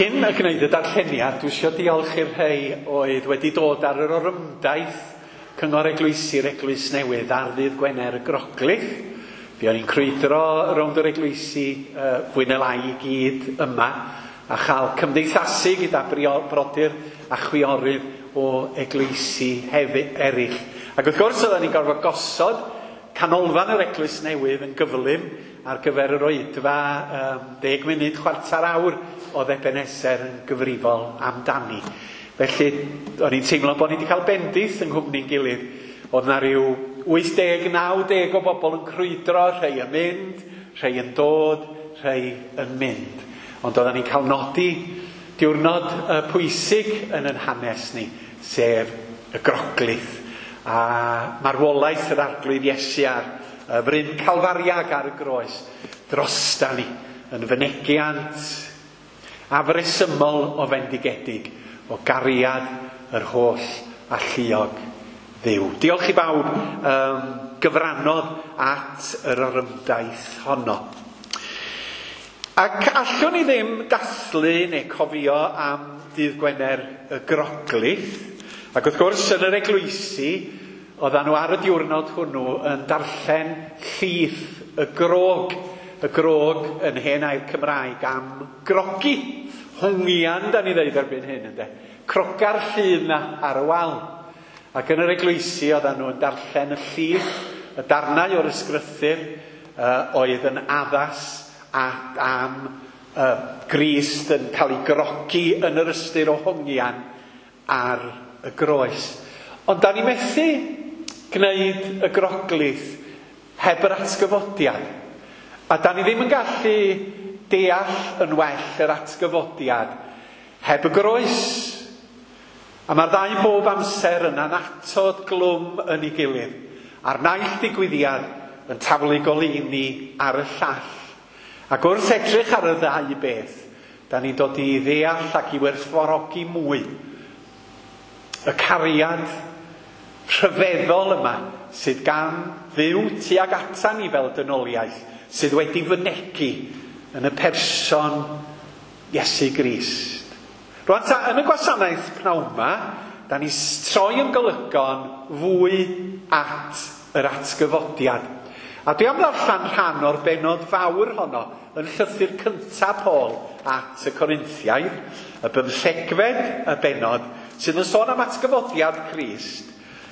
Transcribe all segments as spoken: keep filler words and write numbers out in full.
cyn y gwneud y darlleniad, dwi eisiau diolch i'r rhai oedd wedi dod ar yr orymdaith Cyngor Eglwysi'r Eglwys Newydd ar ddydd Gwener y Groglith. Fi o'n i'n crwydro rownd yr eglwysi uh, fwy neu lai i gyd yma a chael cymdeithasu gyda brodyr a chwiorydd o eglwysi hefyd eraill. Ac wrth gwrs oedden ni'n gorfod gosod canolfan yr Eglwys Newydd yn gyflym ar gyfer yr oedfa um, deg munud, chwarter awr oedd Ebenezer yn gyfrifol amdani. Felly, o'n i'n teimlo bod ni wedi cael bendith yng nghwmni'n gilydd. Oedd na ryw wyth deg, naw deg o bobl yn crwydro, rhai yn mynd, rhai yn dod, rhai yn mynd. Ond oedden ni'n cael nodi diwrnod uh, pwysig yn yn hanes ni, sef y Groglith. A marwolaeth yr Arglwydd Iesu ar y fryn Calfariag ar y groes drosta ni yn fynegiant afresymol o fendigedig o gariad yr holl alluog Dduw. Diolch i bawb um, gyfrannodd at yr orymdaith honno. Ac allwn ni ddim dathlu neu cofio am ddydd Gwener y Groglith. Ac wrth gwrs yn yr eglwysi, oedden nhw ar y diwrnod hwnnw yn darllen llith y grog. Y grog yn hen air Cymraeg am grogi. Hongian, da ni ddeud erbyn hyn, ynde. Croga'r llun na ar y wal. Ac yn yr eglwysi oedden nhw yn darllen y llith, y darnau o'r ysgrythur uh, oedd yn addas a, am uh, Grist yn cael ei grogi yn yr ystyr o hongian ar y groes. Ond da ni methu gwneud y Groglith heb yr atgyfodiad. A da ni ddim yn gallu deall yn well yr atgyfodiad heb y groes. A mae'r ddau bob amser yn annatod glwm yn ei gilydd. A'r naill ddigwyddiad yn taflu goleuni ar y llall. Ac wrth edrych ar y ddau beth, da ni'n dod i ddeall ac i werthfawrogi mwy y cariad rhyfeddol yma sydd gan Dduw tuag atan ni fel dynoliaeth, sydd wedi fynegi yn y person Iesu Grist. Rwan ta, yn y gwasanaeth pnawn yma, da ni troi yn golygon fwy at yr atgyfodiad. A dwi am ddarllen rhan o'r bennod fawr honno yn llythyr cyntaf Paul at y Corinthiaid, y bymthegfed y bennod, sydd yn sôn am atgyfodiad Crist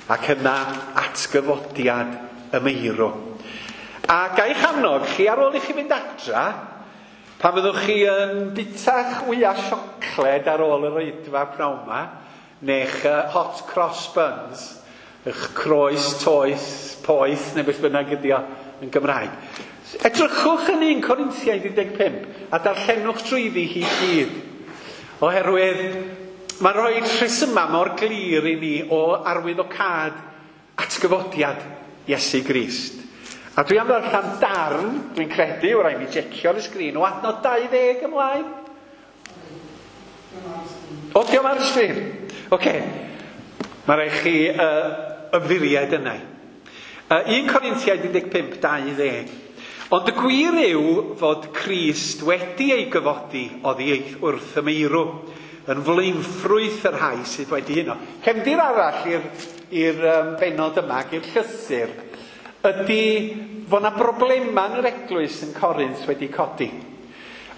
ac yna atgyfodiad y meirw. A ga'i annog chi ar ôl i chi fynd adra, pan fyddwch chi yn bitach wya siocled ar ôl yr oedfa pnawn yma, neu'ch hot cross buns, eich croes toeth, poeth, neu beth bynnag ydi o yn Gymraeg. Edrychwch yn un Corinthiaid un deg pump a darllenwch drwyddi hi gyd. Oherwydd mae'n rhoi rhesymau mor glir i ni o arwyddocâd atgyfodiad Iesu Grist. A dwi am ddarllen darn, dwi'n credu, wrth i mi jecio'r y sgrin, o adnod dau ddeg ymlaen. O, diolch ar y sgrin. Oce. Mae rhaid chi uh, ymddiried yna. Uh, un Corinthiaid un deg pump, dau ddeg. Ond y gwir yw fod Crist wedi ei gyfodi oddi wrth y meirw, yn flaenffrwyth yr rhai sydd wedi huno. Cefndir arall i'r i'r um, bennod yma, i'r llythyr, ydy fod yna broblemau yn yr eglwys yn Corinth wedi codi.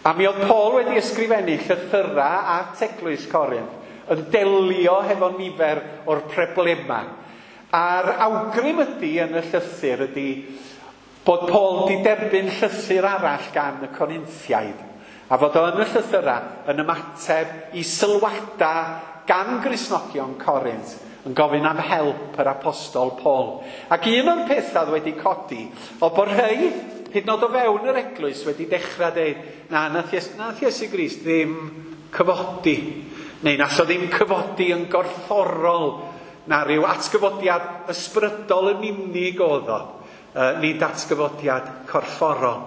A mi oedd Paul wedi ysgrifennu llythyrau at eglwys Corinth yn delio hefo nifer o'r problemau. A'r awgrym ydy yn y llythyr ydy bod Paul wedi derbyn llythyr arall gan y Corinthiaid. A fod o yn y llythyrau yn ymateb i sylwadau gan Gristnogion Corinth yn gofyn am help yr apostol Paul. Ac un o'r pethau wedi codi oedd bod rhai, hyd yn oed o fewn yr eglwys, wedi dechrau dweud, na, nath Iesu, nath Iesu Grist ddim cyfodi, neu nath o ddim cyfodi yn gorfforol, na rhyw atgyfodiad ysbrydol yn unig oedd o, nid atgyfodiad corfforol.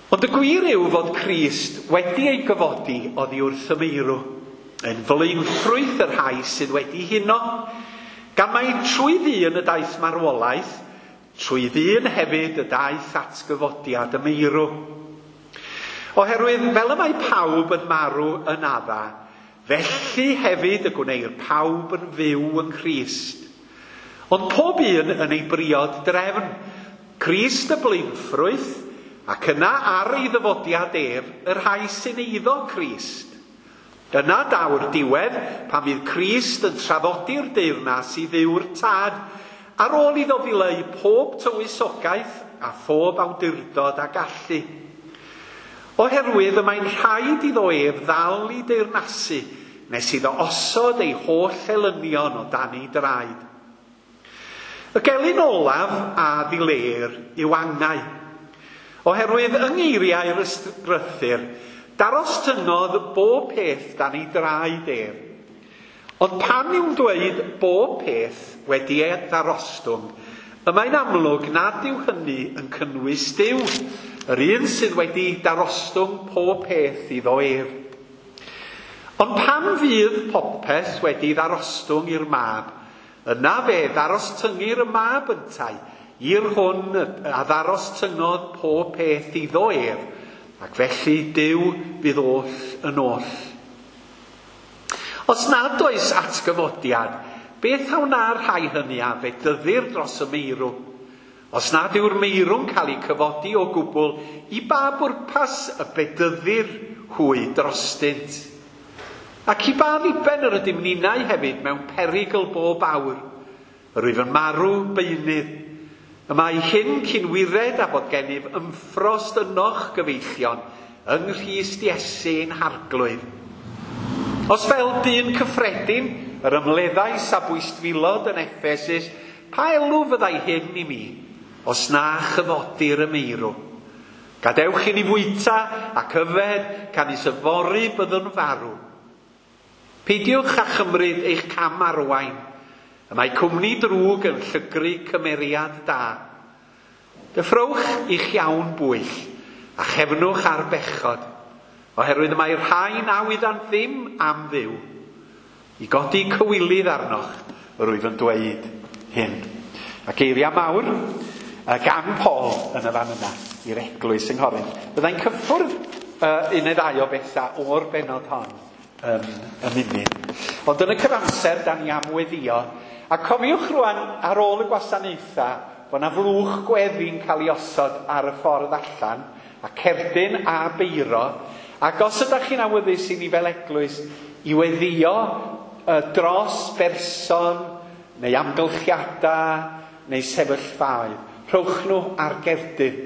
Ond y gwir yw fod Crist wedi ei gyfodi oddi wrth y meirw, yn flaenffrwyth y rhai sydd wedi huno, gan mai trwy ddyn y daeth marwolaeth, trwy ddyn hefyd y daeth atgyfodiad y meirw. Oherwydd fel y mae pawb yn marw yn Adda, felly hefyd y gwneir pawb yn fyw yng Nghrist. Ond pob un yn ei briod drefn, Crist y blaenffrwyth, ac yna ar ei ddyfodiad ef, y rhai sy'n eiddo Crist. Yna daw'r diwedd pan fydd Crist yn traddodi'r deyrnas i Dduw'r Tad, ar ôl iddo ddileu pob tywysogaeth a phob awdurdod a gallu. Oherwydd y mae'n rhaid iddo ef ddal i deyrnasu nes iddo osod ei holl elynion o dan ei draed. Y gelyn olaf a ddileir yw angau. Oherwydd yng ngeiriau'r ysgrythur, darostyngodd bob peth dan ei draed ef. Ond pan yw'n dweud bob peth wedi ei ddarostwng, y mae'n amlwg nad yw hynny yn cynnwys Duw, yr un sydd wedi darostwng pob peth iddo ef. Ond pan fydd popeth wedi ddarostwng i'r mab, yna fe ddarostyngir y mab yntau, i'r hwn a ddarostyngodd pob peth iddo ef, ac felly Duw fydd oll yn oll. Os nad oes atgyfodiad, beth a wna'r rhai hynny a fedyddir dros y meirw? Os nad yw'r meirw'n cael ei cyfodi o gwbl, i ba bwrpas y bedyddir hwy drostynt? Ac i ba ddiben yr ydym ninnau hefyd mewn perygl bob awr? Yr wyf yn marw beunydd. Y mae hyn cyn wired a bod gennyf ymffrost ynoch gyfeillion yng Nghrist Iesu ein Harglwydd. Os fel dyn cyffredin, yr ymleddais a bwystfilod yn Effesus, pa elw fyddai hyn i mi, os na chyfodir y meirw? Gadewch i ni fwyta ac yfed, canys yfory byddwn farw. Peidiwch â chymryd eich cam arwain. Y mae cwmni drwg yn llygru cymeriad da. Deffrowch i'ch iawn bwyll a chefnwch ar bechod, oherwydd y mae rhai na wyddant ddim am Dduw. I godi cywilydd arnoch, yr wyf yn dweud hyn. A geiriau mawr gan Paul yn y fan yna i'r eglwys yng Nghorinth. Byddai'n cyffwrdd uh, un neu ddau o bethau o'r bennod hon um, y munud. Ond yn y cyfamser, da ni am weddio. A cofiwch rwan, ar ôl y gwasanaethau, fod na flwch gweddi'n cael ei osod ar y ffordd allan, a cerdyn a beiro. Ac os ydych chi'n awyddus i ni fel eglwys i weddio uh, dros berson, neu amgylchiadau, neu sefyllfaoedd, rhowch nhw ar gerdyn.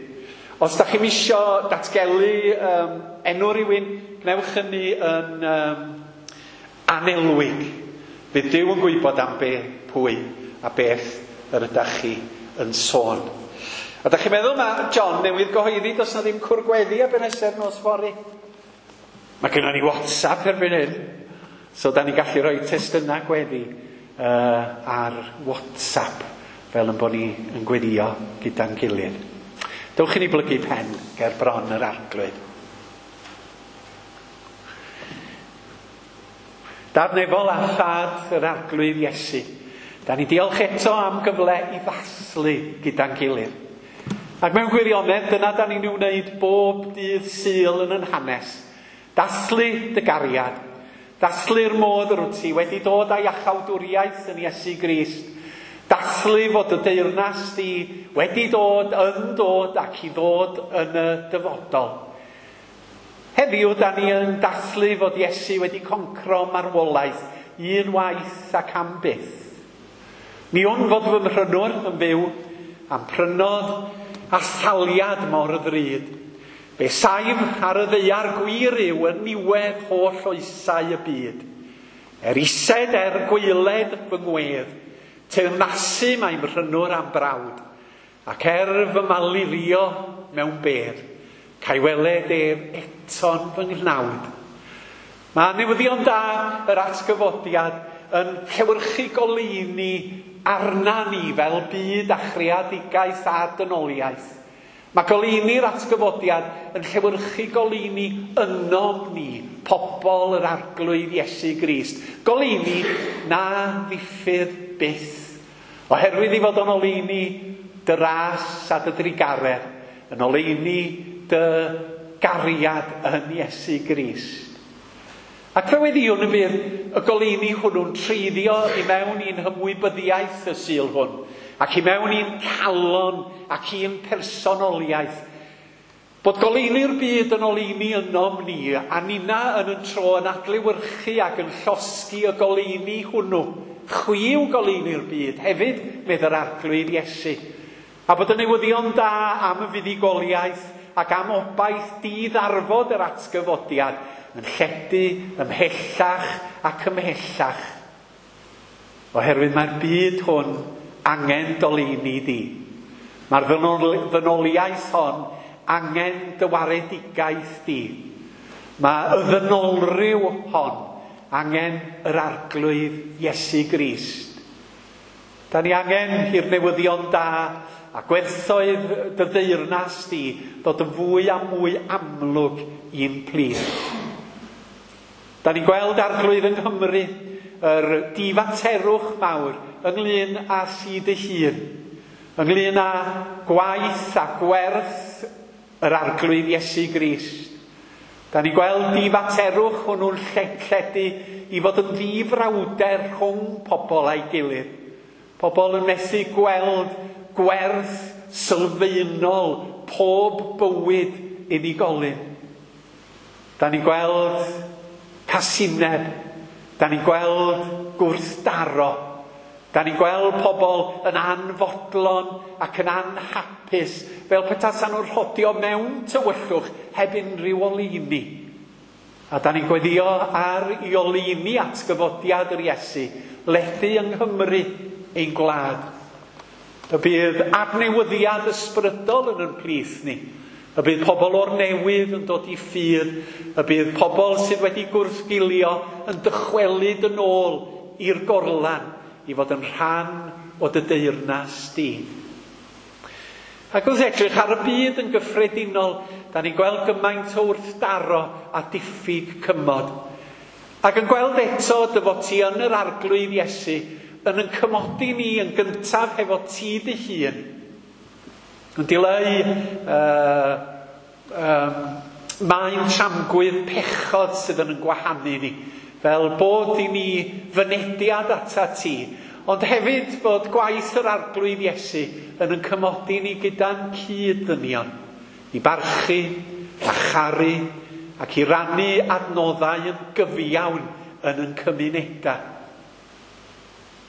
Os ydych chi'n isio datgelu um, enw rhywun, gwnewch hynny yn um, anelwig. Fydd Duw yn gwybod am be, pwy a beth yr ydych chi yn sôn. A ydych chi'n meddwl mae John newydd gyhoeddi does na ddim cwr gweddi Ebenezer nos fory? Mae gennon ni WhatsApp erbyn hyn. So da ni'n gallu rhoi testunau gweddi uh, ar WhatsApp fel yn bod ni yn gweddio gyda'n gilydd. Dewch i ni blygu pen ger bron yr Arglwydd. Dad nefol a thad yr Arglwydd Iesu, da ni diolch eto am gyfle i ddathlu gyda'n gilydd. Ac mewn gwirionedd, dyna da ni'n wneud bob dydd Sul yn yn hanes. Dathlu dy gariad. Dathlu'r modd yr wyt ti wedi dod â iachawdwriaeth yn Iesu Grist. Dathlu fod y deyrnas di wedi dod, yn dod ac i ddod yn y dyfodol. Heddiw, da ni yn dathlu fod Iesu wedi concro marwolaeth un waith ac am byth. Mi wn fod fy mhrynwr yn fyw am prynodd a thaliad mor ddrud. Fe saif ar y ddaear gwir yw yn niwedd holl oesau y byd. Er ised er gwaeled fy ngwedd, teyrnasu mae mhrynwr am brawd, ac er fy malurio mewn bedd, ca'i weled ef eto'n fy nghnawd. Mae newyddion da yr atgyfodiad yn llewyrchu goleuni arna ni fel byd a chreadigaeth a dynoliaeth. Mae goleuni'r atgyfodiad yn llewyrchu goleuni ynom ni, pobl yr Arglwydd Iesu Grist. Goleuni na ddiffydd byth. Oherwydd i fod o'n oleuni dy ras a dy drugaredd, yn oleuni dy gariad yn Iesu Grist. Ac fe weddïwn y bydd y goleuni hwnnw'n treiddio i mewn i'n hymwybyddiaeth y Sul hwn, ac i mewn i'n calon ac i'n personoliaeth. Bod goleuni'r byd yn oleuni ynom ni, a nina yn yn tro yn adlewyrchu ac yn llosgi y goleuni hwnnw. Chwi yw goleuni'r byd hefyd, medd yr Arglwydd Iesu. A bod y newyddion da am y fuddugoliaeth ac am obaith diddarfod yr atgyfodiad yn lledu ymhellach ac ymhellach. Oherwydd mae'r byd hwn angen doleuni di. Mae'r ddynoliaeth hon angen dy waredigaeth di. Mae y ddynolryw hon angen yr Arglwydd Iesu Grist. Da ni angen i'r newyddion da a gwerthoedd dy ddeyrnas di ddod yn fwy a mwy amlwg i'n plith. Da ni'n gweld Arglwydd yng Nghymru yr difaterwch mawr ynglyn â thi dy hun, ynglyn â gwaith a gwerth yr Arglwydd Iesu Grist. Da ni'n gweld difaterwch hwnnw'n lledu i fod yn ddifrawder rhwng pobl a'i gilydd. Pobl yn methu gweld gwerth sylfaenol pob bywyd unigolyn. Da ni'n gweld casineb, da ni'n gweld gwrthdaro, da ni'n gweld pobl yn anfodlon ac yn anhapus, fel petasan nhw'n rhodio mewn tywyllwch heb unrhyw oleuni. A da ni'n gweddio ar i oleuni atgyfodiad yr Iesu, ledu yng Nghymru ein gwlad. Y bydd adnewyddiad ysbrydol yn yn plith ni. Y bydd pobl o'r newydd yn dod i ffydd. Y bydd pobl sydd wedi gwrthgilio yn dychwelyd yn ôl i'r gorlan i fod yn rhan o dy deyrnas di. Ac wrth edrych ar y byd yn gyffredinol, da ni'n gweld gymaint o wrthdaro a diffyg cymod. Ac yn gweld eto dy fod ti yn yr Arglwydd Iesu yn yn cymodi ni yn gyntaf hefo ti dy hun. Yn dileu uh, um, maen tramgwydd pechod sydd yn yn gwahanu ni, fel bod i ni fynediad ata ti, ond hefyd bod gwaith yr Arglwydd Iesu yn yn cymodi ni gyda'n cyd-ddynion, i barchu a charu ac i rannu adnoddau yn gyfiawn yn yn cymunedau.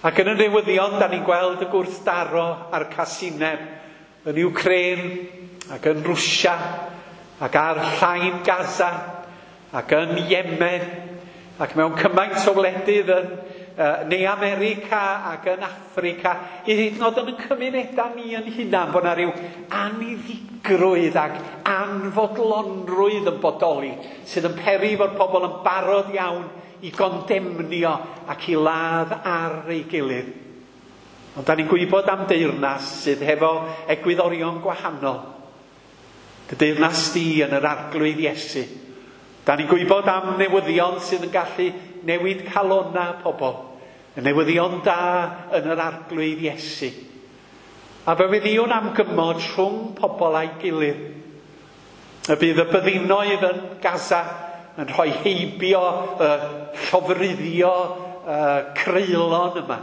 Ac yn y newyddion, da ni'n gweld y gwrthdaro a'r casineb yn Ukraine ac yn Rwsia ac ar llain Gaza ac yn Yemen ac mewn cymaint o wledydd yn uh, Ne America ac yn Affrica, i hyd yn oed yn y cymunedau ni yn hunan, bod yna rhyw aniddigrwydd ac anfodlonrwydd yn bodoli sydd yn peri fod pobl yn barod iawn i gondemnio ac i ladd ar ei gilydd. Ond da ni'n gwybod am deyrnas sydd hefo egwyddorion gwahanol. Dy deyrnas di yn yr Arglwydd Iesu. Da ni'n gwybod am newyddion sydd yn gallu newid calonna pobl. Y newyddion da yn yr Arglwydd Iesu. A fe weddïwn am gymod rhwng pobl a'i gilydd. Y bydd y byddinoedd yn Gaza yn rhoi heibio, y llofruddio, y creulon yma.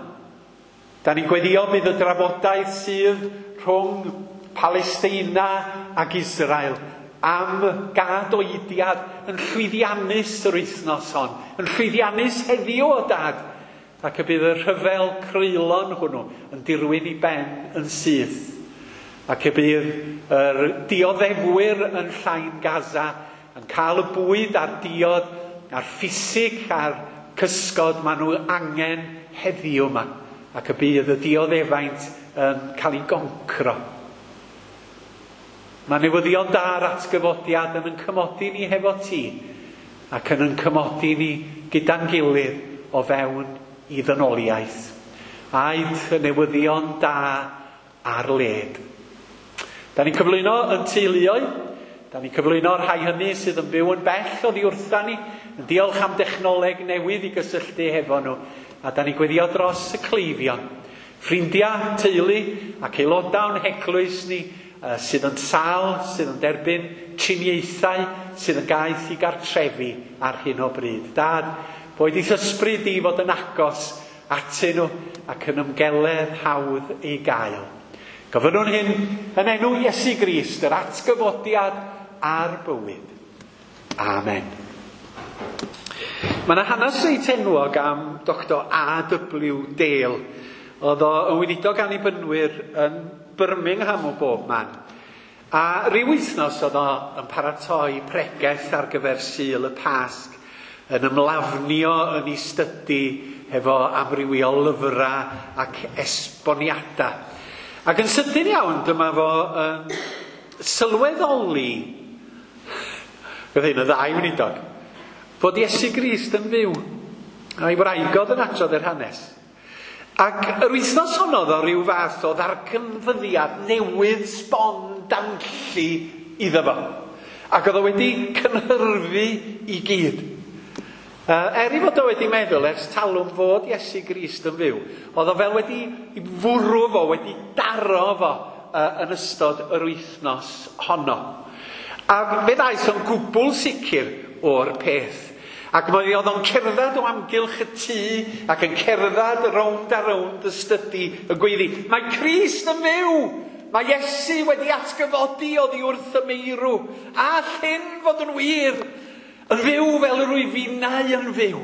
Da ni'n gweddio bydd y drafodaeth sydd rhwng Palesteina ac Israel am gadoediad yn llwyddiannus yr wythnos hon, yn llwyddiannus heddiw o dad, ac y bydd y rhyfel creulon hwnnw yn dirwyn i ben yn syth, ac y bydd yr dioddefwyr yn llain Gaza yn cael y bwyd a'r diod a'r ffisig a'r cysgod maen nhw angen heddiw yma, ac y bydd y dioddefaint yn cael ei goncro. Mae newyddion da'r atgyfodiad yn yn cymodi ni hefo ti, ac yn yn cymodi ni gyda'n gilydd o fewn i ddynoliaeth. Aed y newyddion da ar led. Da ni'n cyflwyno yn teuluoedd, da ni'n cyflwyno'r rhai hynny sydd yn byw yn bell oddi wrtha ni, yn diolch am dechnoleg newydd i gysylltu hefo nhw, a da ni'n gweddio dros y cleifion, ffrindiau, teulu ac aelodau o'n heglwys ni sydd yn sâl, sydd yn derbyn triniaethau, sydd yn gaeth i gartrefi ar hyn o bryd. Dad, boed i'th ysbryd di fod yn agos atyn nhw ac yn ymgeledd hawdd ei gael. Gofynnwn hyn yn enw Iesu Grist, yr atgyfodiad a'r bywyd. Amen. Mae yna hanes reit enwog am Doctor A W Dale. Oedd o yn weinidog annibynwyr yn Birmingham o bob man. A ryw wythnos oedd o yn paratoi pregeth ar gyfer Sul y Pasg, yn ymlafnio yn ei stydi hefo amrywiol lyfrau ac esboniadau. Ac yn sydyn iawn, dyma fo yn sylweddoli, roedd hyn yn ddau weinidog, fod Iesu Grist yn fyw. A'i wraig oedd yn adrodd yr hanes. Ac yr wythnos honno oedd o ryw fath o ddarganfyddiad newydd sbon danlli iddo fo. Ac oedd o wedi cynhyrfu i gyd. Er ei fod o wedi meddwl ers talwm fod Iesu Grist yn fyw, oedd o fel wedi fwrw fo, wedi daro fo yn ystod yr wythnos honno. A fe ddaeth o'n gwbl sicr o'r peth. Ac mae oedd o'n cerdded o amgylch y tŷ ac yn cerdded rownd a rownd y stydi y gweiddi, mae Crist yn fyw! Mae Iesu wedi atgyfodi oddi wrth y meirw. A all hyn fod yn wir? Yn fyw fel yr wyf finnau yn fyw.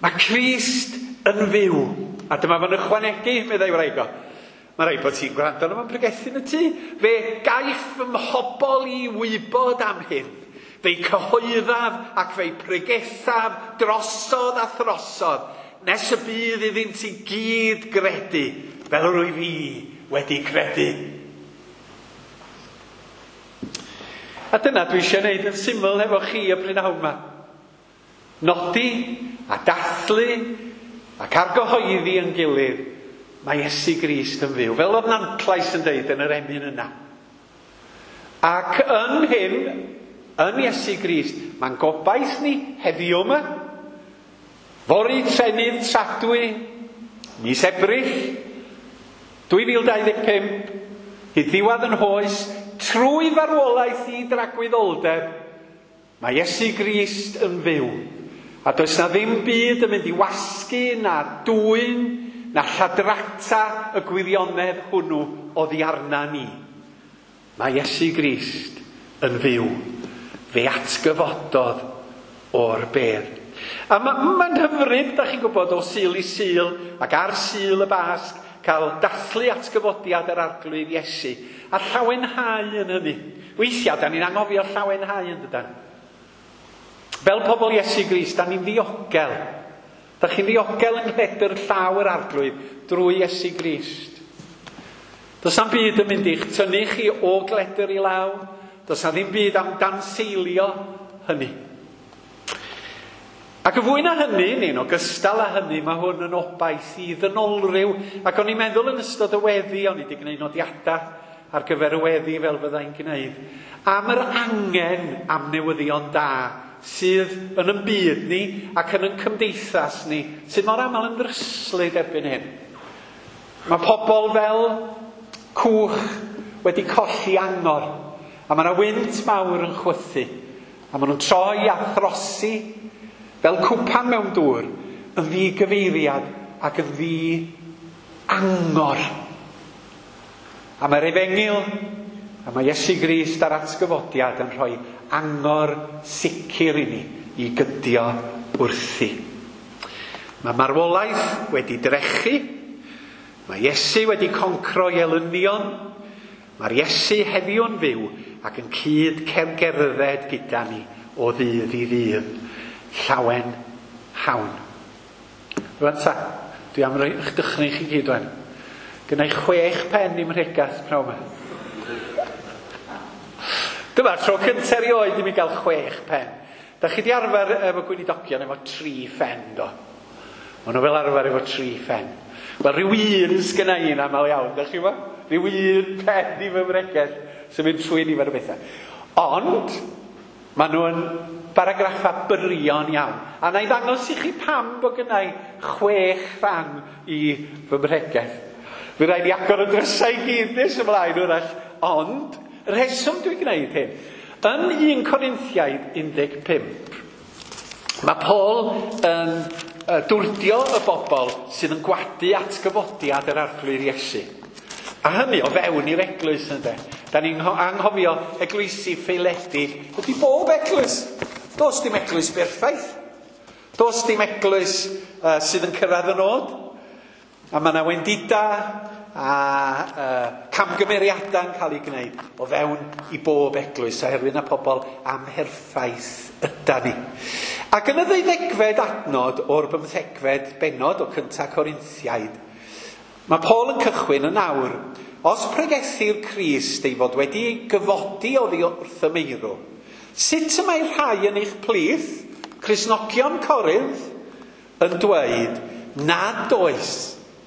Mae Crist yn fyw. A dyma fo'n ychwanegu, meddai wraig o. Mae rhaid bod ti'n gwrando arno fo'n pregethu yn y tŷ. Fe gaiff fy mhobl i wybod am hyn. Fe'i cyhoeddaf ac fe'i pregethaf drosodd a throsodd, nes y bydd iddynt i gyd gredu, fel yr wyf i wedi credu. A dyna dwi eisiau gwneud yn syml efo chi y prynhawn yma. Nodi a dathlu ac argyhoeddi yn gilydd, mae Iesu Grist yn fyw, fel oedd Nantlais yn deud yn yr emyn yna. Ac yn hyn, yn Iesu Grist, mae'n gobaith ni heddiw yma, fory trenydd tradwy, mis Ebrill, dwy fil dau ddeg pump, hyd ddiwedd yn hoes, trwy farwolaeth i dragwyddoldeb, mae Iesu Grist yn fyw. A does na ddim byd yn mynd i wasgu, na dwyn, na lladrata y gwirionedd hwnnw oddi arna ni. Mae Iesu Grist yn fyw. Fe atgyfododd o'r bedd. A mae'n ma hyfryd, da chi'n gwybod, o Sul i Sul ac ar Sul y Basg, cael dathlu atgyfodiad yr Arglwydd Iesu a llawenhau yn hynny. Weithiau, da ni'n anghofio llawenhau yn dydan. Fel pobl Iesu Grist, da ni'n ddiogel. Da chi'n ddiogel yng nghledr llaw yr Arglwydd drwy Iesu Grist. Does na'm byd yn mynd i'ch tynnu chi o gledr i law. Does na ddim byd am danseilio hynny. Ac y fwy na hynny, neu'n ogystal â hynny, mae hwn yn obaith i ddynolryw. Ac o'n i'n meddwl yn ystod y weddi, o'n i wedi gwneud nodiadau ar gyfer y weddi fel fyddai'n gwneud, am yr angen am newyddion da sydd yn ein byd ni ac yn ein cymdeithas ni, sydd mor aml yn ddryslyd erbyn hyn. Mae pobl fel cwch wedi colli angor, a mae yna wynt mawr yn chwythu, a maen nhw'n troi a throsi fel cwpan mewn dŵr, yn ddigyfeiriad ac yn ddi-angor. A mae'r efengyl, a mae Iesu Grist a'r atgyfodiad yn rhoi angor sicr i ni i gydio wrthi. Mae marwolaeth wedi drechu, mae Iesu wedi concro i elynion, mae'r Iesu heddiw'n fyw ac yn cyd cerdded gyda ni o ddydd i ddydd. Llawen hawn. Rwan ta, dwi am roi eich dychryn chi gyd wan. Gynna i chwech pen i'm mhregath pnawn yma. Dyma'r tro cyntaf erioed i mi gael chwech pen. Da chi di arfer efo gweinidogion efo tri phen, do? Maen nhw fel arfer efo tri phen. Wel, rhyw un sgynna i'n aml iawn, da chi fo? Rhyw un pen i fy mhregeth sy'n mynd trwy nifer o bethau. Ond, maen nhw'n baragraffau byrion iawn. A na i ddangos i chi pam bod gynna i chwech rhan i fy mhregeth. Fy rhaid i agor y drysau i gyd nes ymlaen wrach Ond, rheswm dwi'n gwneud hyn, yn un Corinthiaid un deg pump, mae Paul yn dwrdio y bobl sydd yn gwadu atgyfodiad yr Arglwydd Iesu. A hynny o fewn i'r eglwys, ynde. Da ni'n anghofio eglwysi ffaeledig. Ydy bob eglwys. Does dim eglwys berffaith. Does dim eglwys uh, sydd yn cyrraedd y nod. A mae yna wendida a uh, camgymeriadau'n cael ei gwneud o fewn i bob eglwys, oherwydd na pobl amherffaith yda ni. Ac yn y ddeuddegfed adnod o'r bymthegfed bennod o cynta Corinthiaid, mae Paul yn cychwyn yn awr, os pregethir Crist ei fod wedi ei gyfodi oddi wrth y meirw, sut y mae rhai yn eich plith, Cristnogion Corinth, yn dweud nad oes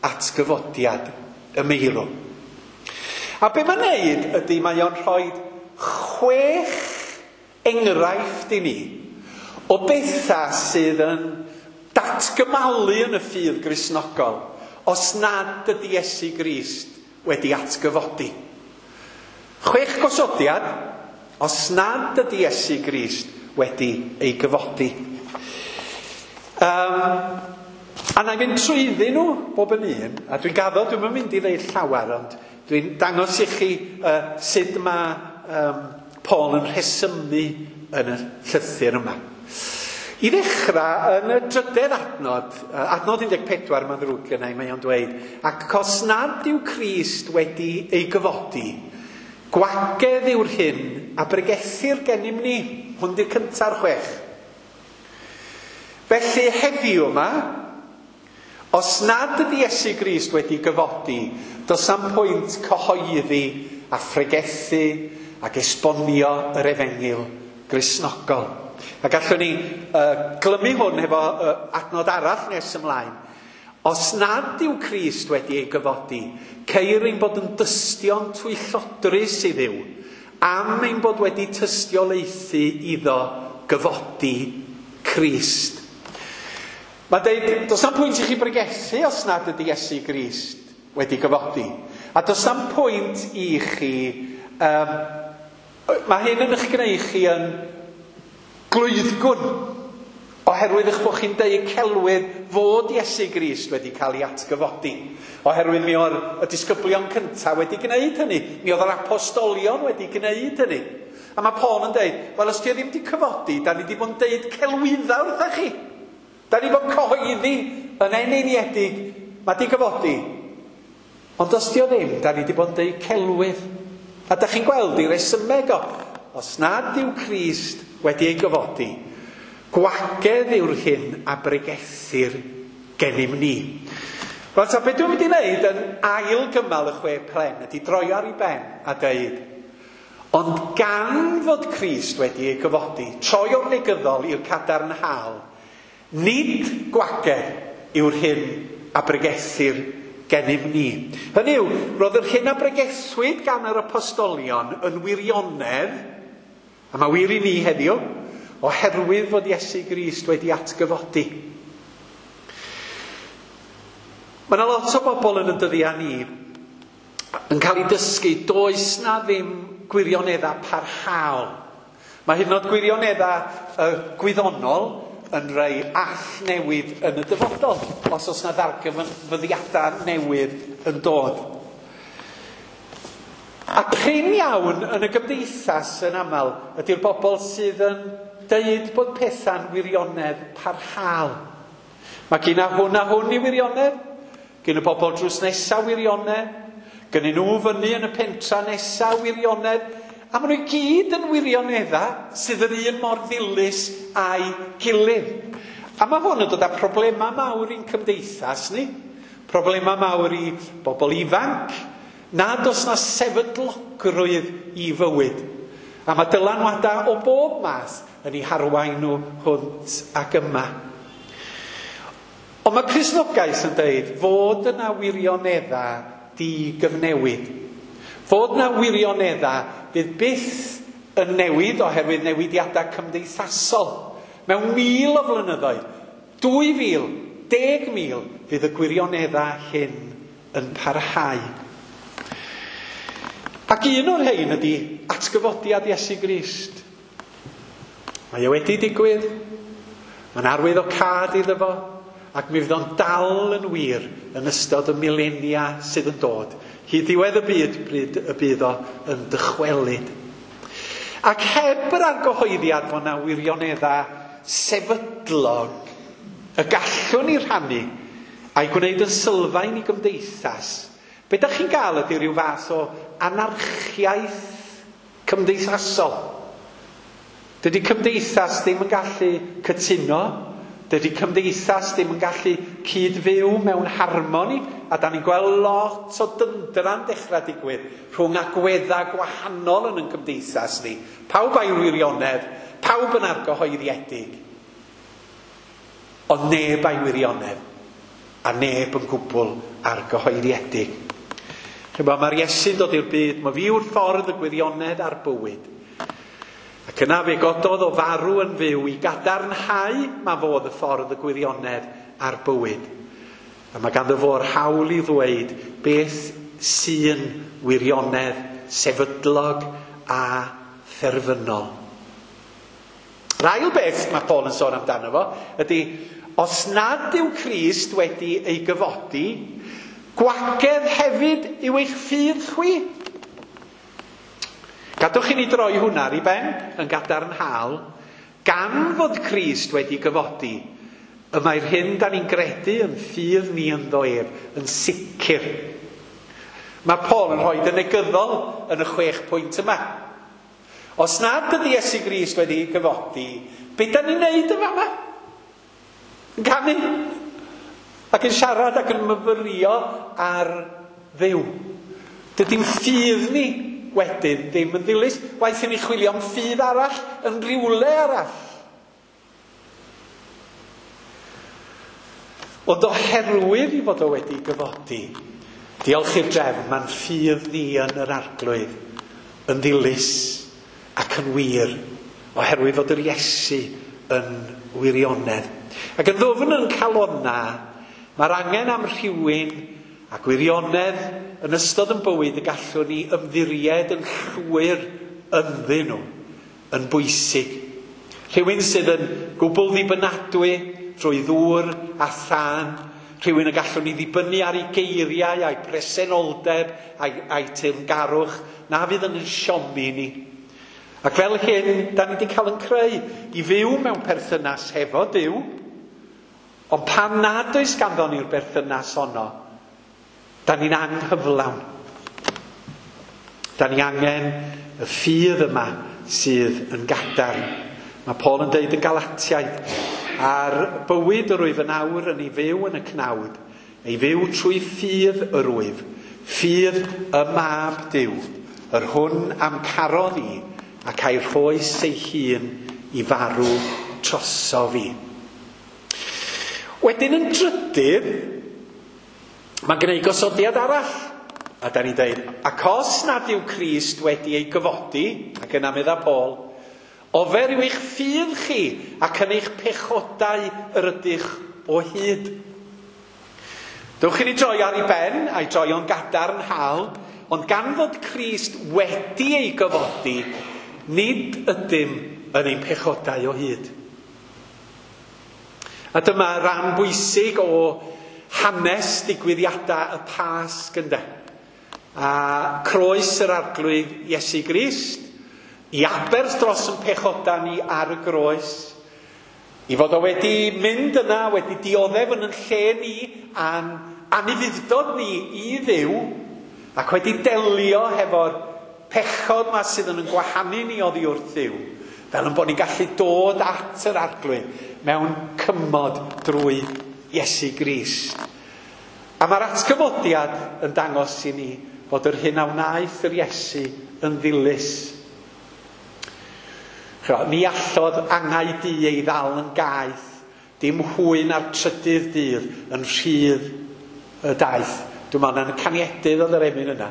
atgyfodiad y meirw? A be mae'n neud ydy mae o'n rhoi chwech enghraifft i ni o bethau sydd yn datgymalu yn y ffydd Gristnogol os nad ydy Iesu Grist wedi atgyfodi. Chwech gosodiad os nad ydy Iesu Grist wedi ei gyfodi. Um, a na i fynd trwyddyn nhw bob yn un, a dwi'n gaddo, dwi'n mynd i ddeud llawer, ond dwi'n dangos i chi uh, sut mae um, Paul yn rhesymu yn y llythyr yma. I ddechrau, yn y drydedd adnod, adnod un deg pedwar mae'n ddrwg gynna i, mae o'n dweud, ac os nad yw Crist wedi ei gyfodi, gwagedd yw'r hyn a bregethir gennym ni. Hwn di'r cynta'r chwech. Felly heddiw yma, os nad ydy Iesu Grist wedi gyfodi, does am pwynt cyhoeddi a phregethu ac esbonio yr efengyl Gristnogol. A gallwn ni uh, glymu hwn efo uh, adnod arall nes ymlaen. Os nad yw Crist wedi ei gyfodi, ceir ein bod yn dystion twyllodrus i Dduw, am ein bod wedi tystiolaethu iddo gyfodi Crist. Mae'n deud, does na'm pwynt i chi bregethu os nad ydy Iesu Grist wedi gyfodi. A does na'm pwynt i chi... Um, mae hyn yn eich gwneud chi yn glwyddgwn, oherwydd eich bod chi'n deud celwydd fod Iesu Grist wedi cael ei atgyfodi. Oherwydd mi oedd y disgyblion cyntaf wedi gwneud hynny. Mi oedd yr apostolion wedi gwneud hynny. A mae Paul yn deud, wel os ti ddim wedi cyfodi, da ni wedi bod yn deud celwydda wrtha chi. Da ni bod cyhoeddi yn eneiniedig, mae di gyfodi. Ond os di o ddim, da ni wedi bod yn deud celwydd. A da chi'n gweld i resymeg o, os nad yw Crist wedi ei gyfodi, gwagedd yw'r hyn a bregethir gennym ni. Wel, ta beth dwi'n mynd i wneud yn ail gymal y chwe plen ydy droi ar ei ben a deud, ond gan fod Crist wedi ei gyfodi, troi o'r negyddol i'r cadarnhaol, nid gwagedd yw'r hyn a bregethir gennym ni. Hynny yw, roedd yr hyn a bregethwyd gan yr apostolion yn wirionedd, a mae wir i ni heddiw, oherwydd fod Iesu Grist wedi atgyfodi. Mae yna lot o bobl yn y dyddiau ni yn cael eu dysgu, does na ddim gwirioneddau parhaol. Mae hyd yn oed gwirioneddau uh, gwyddonol yn rhai all newydd yn y dyfodol, os oes na ddarganfyddiadau newydd yn dod. A prin iawn yn y gymdeithas yn aml ydy'r bobl sydd yn deud bod pethau'n wirionedd parhaol. Mae gen a hwn a hwn i wirionedd, gen y bobl drws nesa wirionedd, gen nhw fyny yn y pentra nesa wirionedd, a maen nhw i gyd yn wirioneddau sydd yr un mor ddilys a'i gilydd. A mae hwn yn dod â problemau mawr i'n cymdeithas ni, problemau mawr i bobl ifanc, nad oes na sefydlogrwydd i fywyd. A mae dylanwadau o bob math yn eu harwain nhw hwnt ac yma. Ond mae Cristnogaeth yn deud fod yna wirioneddau digyfnewid. Fod yna wirioneddau fydd byth yn newid oherwydd newidiadau cymdeithasol. Mewn mil o flynyddoedd, dwy fil, deg mil, fydd y gwirioneddau hyn yn parhau. Ac un o'r rhain ydy atgyfodiad Iesu Grist. Mae o wedi digwydd, mae'n arwydd o cad iddo fo, ac mi fydd o'n dal yn wir yn ystod y milenia sydd yn dod. Hyd ddiwedd y byd pryd y bydd o yn dychwelyd. Ac heb yr argyhoeddiad fod 'na wirioneddau sefydlog y gallwn ni rhannu a'i gwneud yn sylfaen i gymdeithas, be dach chi'n gael ydy rhyw fath o anarchiaeth cymdeithasol. Dydy cymdeithas ddim yn gallu cytuno, dydy cymdeithas ddim yn gallu cyd-fyw mewn harmoni, a da ni'n gweld lot o dyndra'n dechrau digwydd rhwng agweddau gwahanol yn ein cymdeithas ni. Pawb a'i wirionedd, pawb yn argyhoeddiedig, ond neb a'i wirionedd, a neb yn gwbl argyhoeddiedig. Chymod, mae'r Iesu'n dod i'r byd, mae fi yw'r ffordd, y gwirionedd a'r bywyd. Ac yna fe gododd o farw yn fyw i gadarnhau ma fo oedd y ffordd, y gwirionedd a'r bywyd. A mae ganddo fo'r hawl i ddweud beth sy'n wirionedd sefydlog a therfynol. Yr ail beth mae Paul yn sôn amdano fo ydy, os nad yw Crist wedi ei gyfodi, gwagedd hefyd yw eich ffydd chwi. Gadwch i ni droi hwnna ar ei ben yn gadarnhaol. Gan fod Crist wedi gyfodi, y mae'r hyn da ni'n gredu yn ffydd ni ynddo ef yn sicr. Mae Paul yn rhoi y negyddol yn y chwech pwynt yma. Os nad ydy Iesu Grist wedi gyfodi, be da ni'n neud yn fama? Yn canu ac yn siarad ac yn myfyrio ar Dduw. Dydy'n ffydd ni wedyn ddim yn ddilys. Waeth i ni chwilio am ffydd arall yn rhywle arall. Ond oherwydd i fod o wedi gyfodi, diolch i'r drefn, mae'n ffydd ni yn yr Arglwydd yn ddilys ac yn wir, oherwydd fod yr Iesu yn wirionedd. Ac yn ddwfn yn calonna, mae'r angen am rhywun a gwirionedd yn ystod yn bywyd y gallwn ni ymddiried yn llwyr ynddyn nhw yn bwysig. Rhywun sydd yn gwbl ddibynadwy drwy ddŵr a thân, rhywun y gallwn ni ddibynnu ar ei geiriau, a'i presenoldeb, a'i, a'i teyrngarwch, na fydd yn siomi ni. Ac fel hyn, da ni wedi cael yn creu i fyw mewn perthynas hefo Duw, ond pan nad oes ganddo ni'r berthynas honno, da ni'n anghyflawn. Da ni angen y ffydd yma sydd yn gadarn. Mae Paul yn deud yn Galatiaid, a'r bywyd yr wyf yn awr yn ei fyw yn y cnawd, ei fyw trwy ffydd yr wyf, ffydd y Mab Duw, yr hwn am carodd i, ac a'i rhoes ei hun i farw troso fi. Wedyn yn drydydd, mae'n gwneud gosodiad arall. A da ni'n deud, ac os nad yw Crist wedi ei gyfodi, ac yna medda Paul, ofer yw eich ffydd chi ac yn eich pechodau yr ydych o hyd. Dewch i ni droi ar ei ben, a'i droi o'n gadarnhaol, ond gan fod Crist wedi ei gyfodi, nid ydym yn ein pechodau o hyd. A dyma ran bwysig o hanes digwyddiadau y Pasg ynde. A croes yr Arglwydd Iesu Grist, i aberth dros yn pechodau ni ar y groes, i fod o wedi mynd yna, wedi dioddef yn yn lle ni, a'n anufudd-dod ni i Dduw, ac wedi delio hefo'r pechod ma sydd yn yn gwahanu ni oddi wrth Dduw, fel yn bod ni'n gallu dod at yr Arglwydd mewn cymod drwy Iesu Grist. A mae'r atgyfodiad yn dangos i ni fod yr hyn a wnaeth yr Iesu yn ddilys. Ni allodd angau du ei ddal yn gaeth, dim hwy na'r trydydd dydd yn rhydd y daith. Dwi'n meddwl yn y caniedydd oedd yr emyn yna.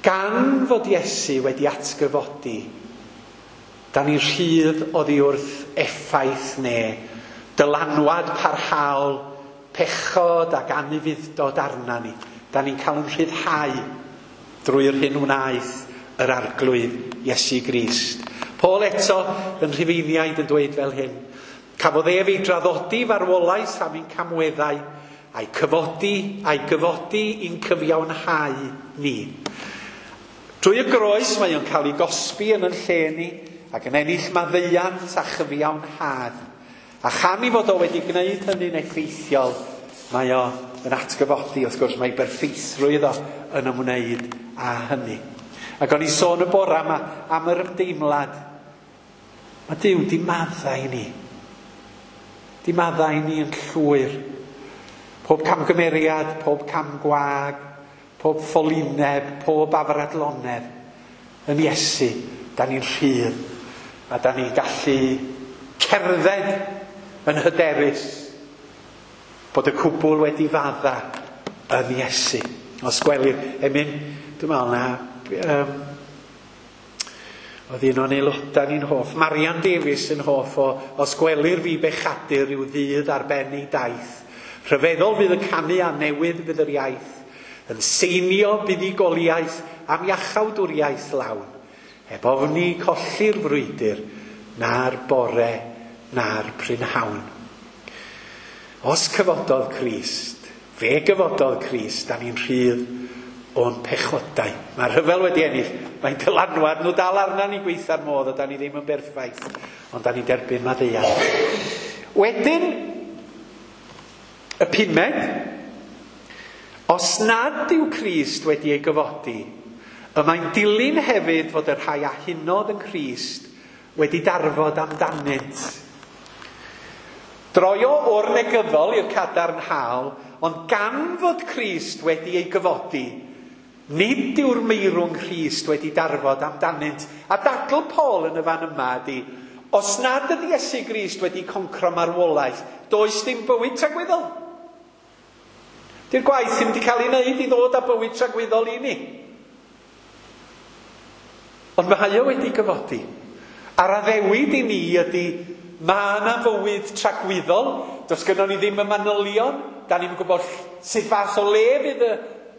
Gan fod Iesu wedi atgyfodi, da ni'n rhydd oddi wrth effaith neu dylanwad parhaol, pechod ac anufudd-dod arna ni. Da ni'n cael yn rhyddhau. drwy'r hyn wnaeth yr Arglwydd Iesu Grist. Paul eto yn Rhufeiniaid yn dweud fel hyn. Cafodd ef ei draddodi farwolaeth am ein camweddau, a'i cyfodi, a'i gyfodi i'n cyfiawnhau ni. Drwy y groes mae o'n cael ei gosbi yn yn lle ni, ac yn ennill maddeuant a chyfiawnhad. A chan i fod o wedi gwneud hynny'n effeithiol, mae o yn atgyfodi, wrth gwrs, mae berffeithrwydd o yn ymwneud â hynny. Ac o'n i sôn y bora yma am yr ymdeimlad. Mae Duw di maddau ni. Di maddau ni yn llwyr. Pob camgymeriad, pob cam gwag, pob ffolineb, pob afradlonedd. Yn Iesu, da ni'n rhydd. A da ni'n gallu cerdded yn hyderus bod y cwbl wedi fadda yn Iesu. Os gwelir, emyn, dwi'n meddwl na, um, oedd un o'n aelodau ni'n hoff, Marian Davies yn hoff o, os gwelir fi bechadur rhyw ddydd ar ben ei daith. Rhyfeddol fydd y canu a newydd fydd yr iaith, yn seinio buddugoliaeth am iachawdwriaeth lawn. Heb ofni colli'r frwydr, na'r bore, na'r prynhawn. Os cyfododd Crist, fe gyfododd Crist, da ni'n rhydd o'n pechodau. Mae'r rhyfel wedi ennill, mae'n dylanwad nhw dal arna ni gweitha'r modd, a da ni ddim yn berffaith, ond da ni'n derbyn maddeuant. Wedyn, y pumed, os nad yw Crist wedi ei gyfodi, y mae'n dilyn hefyd fod y rhai a hunodd yn Crist wedi darfod amdanynt. Droio o'r negyddol i'r cadarnhaol, ond gan fod Crist wedi ei gyfodi, nid yw'r meirwng Crist wedi darfod amdanynt. A dadl Paul yn y fan yma ydi, os nad ydi Iesu Grist wedi concro marwolaeth, does dim bywyd tragwyddol. Di'r gwaith ddim wedi cael ei wneud i ddod â bywyd tragwyddol i ni. Ond mae o wedi gyfodi. A'r addewid i ni ydy, mae yna fywyd tragwyddol, does gynnon ni ddim y manylion, da ni'n gwybod sut fath o le fydd y...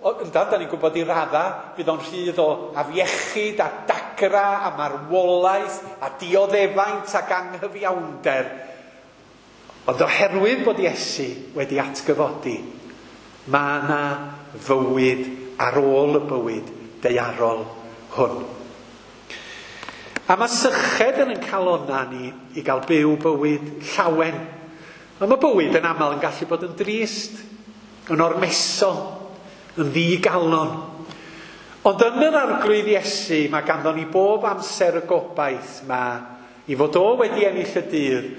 Yndan, da ni'n gwybod i radda, fydd o'n rhydd o afiechyd a dagra a marwolaeth a dioddefaint ac anghyfiawnder. Ond oherwydd bod Iesu wedi atgyfodi, mae yna fywyd ar ôl y bywyd daearol hwn. A mae syched yn ein calonna ni i gael byw bywyd llawen. Ond mae bywyd yn aml yn gallu bod yn drist, yn ormesol, yn ddigalon. Ond yn yr Arglwydd Iesu mae ganddo ni bob amser y gobaith ma i fod o wedi ennill y dydd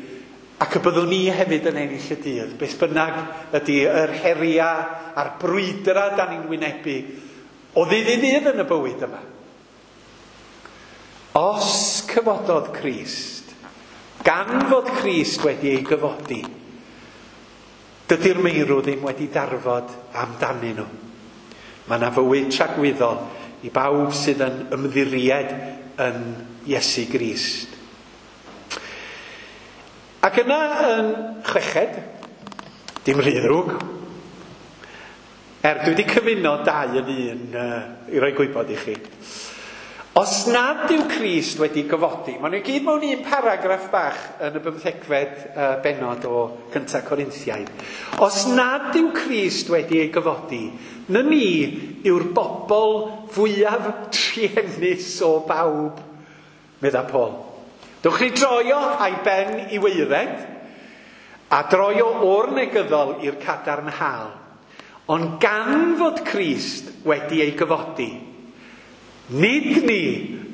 ac y byddwn ni hefyd yn ennill y dydd. Beth bynnag ydy yr heriau a'r brwydrau da ni'n wynebu o ddydd i ddydd yn y bywyd yma. Os cyfododd Crist, gan fod Crist wedi ei gyfodi, dydy'r meirw ddim wedi darfod amdanyn nhw. Mae yna fywyd tragwyddol i bawb sydd yn ymddiried yn Iesu Grist. Ac yna yn chweched, dim rhy ddrwg, er dwi wedi cyfuno dau yn un uh, i roi gwybod i chi. Os nad yw Crist wedi gyfodi, maen nhw i gyd mewn un paragraff bach yn y bymthegfed uh, bennod o Cynta Corinthiaid. Os nad yw Crist wedi ei gyfodi, na ni yw'r bobl fwyaf truenus o bawb, medda Paul. Dewch chi droio a'i ben i waered, a droio o'r negyddol i'r cadarnhaol. Ond gan fod Crist wedi ei gyfodi, nid ni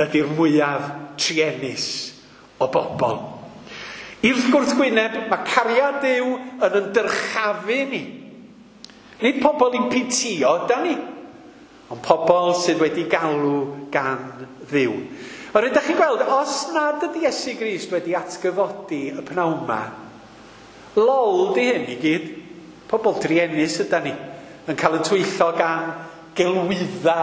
ydy'r mwyaf truenus o bobl. I'r gwrthwyneb, mae cariad Duw yn yn dyrchafu ni. Nid pobl i'n pitio, da ni, ond pobl sydd wedi galw gan Dduw. Ond ydych chi'n gweld, os nad ydy Iesu Grist wedi atgyfodi y pnawn yma, lol di hyn i gyd. Pobl druenus yda ni, yn cael yn twyllo gan gelwydda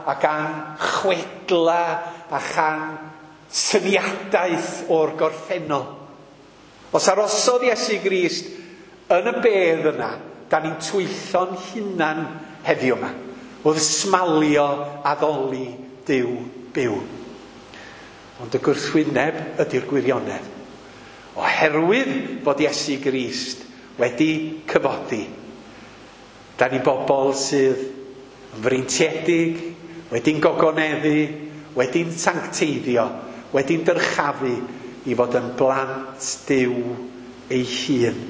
a gan chwedla a chan syniadaeth o'r gorffennol. Os arosodd Iesu Grist yn y bedd yna, da ni'n twyllo'n hunan heddiw yma. wrth smalio addoli Duw byw. Ond y gwrthwyneb ydy'r gwirionedd. Oherwydd fod Iesu Grist wedi cyfodi, da ni bobl sydd yn freintiedig, wedi'n gogoneddu, wedi'n sancteiddio, wedi'n dyrchafu i fod yn blant Duw ei hun.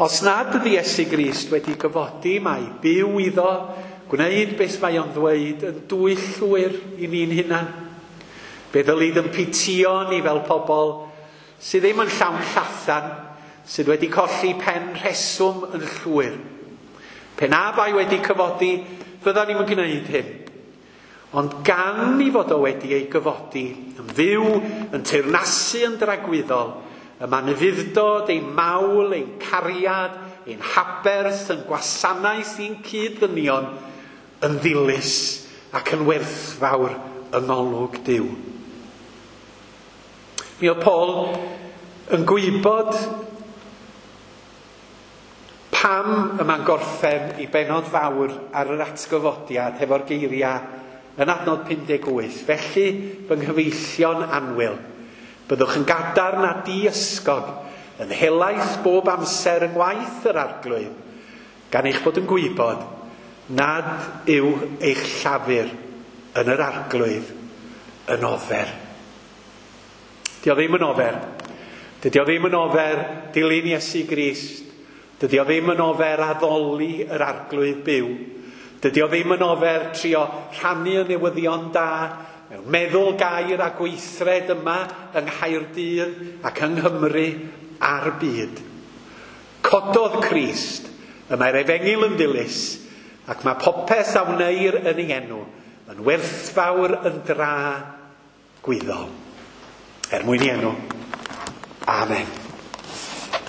Os nad ydy Iesu Grist wedi gyfodi, mae byw iddo, gwneud beth mae o'n ddweud yn dwyllwyr i ni'n hunan. Fe ddylid yn pitio ni fel pobl sydd ddim yn llawn llathan, sydd wedi colli pen rheswm yn llwyr. Pe na bai wedi cyfodi, fydda ni'm yn gwneud hyn. Ond gan i fod o wedi ei gyfodi, yn fyw, yn teyrnasu yn dragwyddol, y mae'n ufudd-dod, ein mawl, ein cariad, ein haberth, yn gwasanaeth i'n cyd-ddynion, yn ddilys ac yn werthfawr yng ngolwg Duw. Mi oedd Paul yn gwybod pam y mae'n gorffen i bennod fawr ar yr atgyfodiad hefo'r geiriau yn adnod pum deg wyth. Felly, fy nghyfeillion annwyl, byddwch yn gadarn a diysgog, yn helaeth bob amser yng ngwaith yr Arglwydd, gan eich bod yn gwybod nad yw eich llafur yn yr Arglwydd yn ofer. Dio ddim yn ofer. Dydy o ddim yn ofer dilyn Iesu Grist. Dydy o ddim yn ofer addoli yr Arglwydd byw. Dydy o ddim yn ofer trio rhannu y newyddion da mewn meddwl, gair a gweithred yma yng Nghaerdydd ac yng Nghymru a'r byd. Cododd Crist, y mae'r efengyl yn ddilys, ac mae popeth a wneir yn ei enw yn werthfawr yn dra gwyddol. Er mwyn ei enw. Amen.